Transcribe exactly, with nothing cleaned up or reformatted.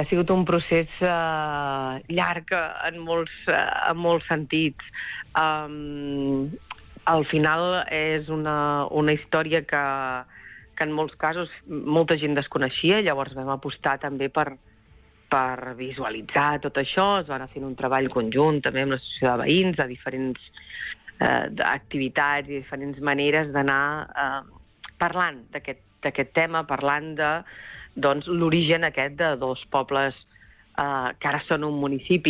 Ha sigut un procés uh, llarg en molts, uh, en molts sentits. Um, al final és una, una història que, que en molts casos molta gent desconeixia, llavors vam apostar també per, per visualitzar tot això. Es va anar fent un treball conjunt també amb l'associació de veïns, de diferents uh, activitats i diferents maneres d'anar uh, parlant d'aquest d'aquest tema, parlant de doncs, l'origen aquest de dos pobles eh, que ara són un municipi,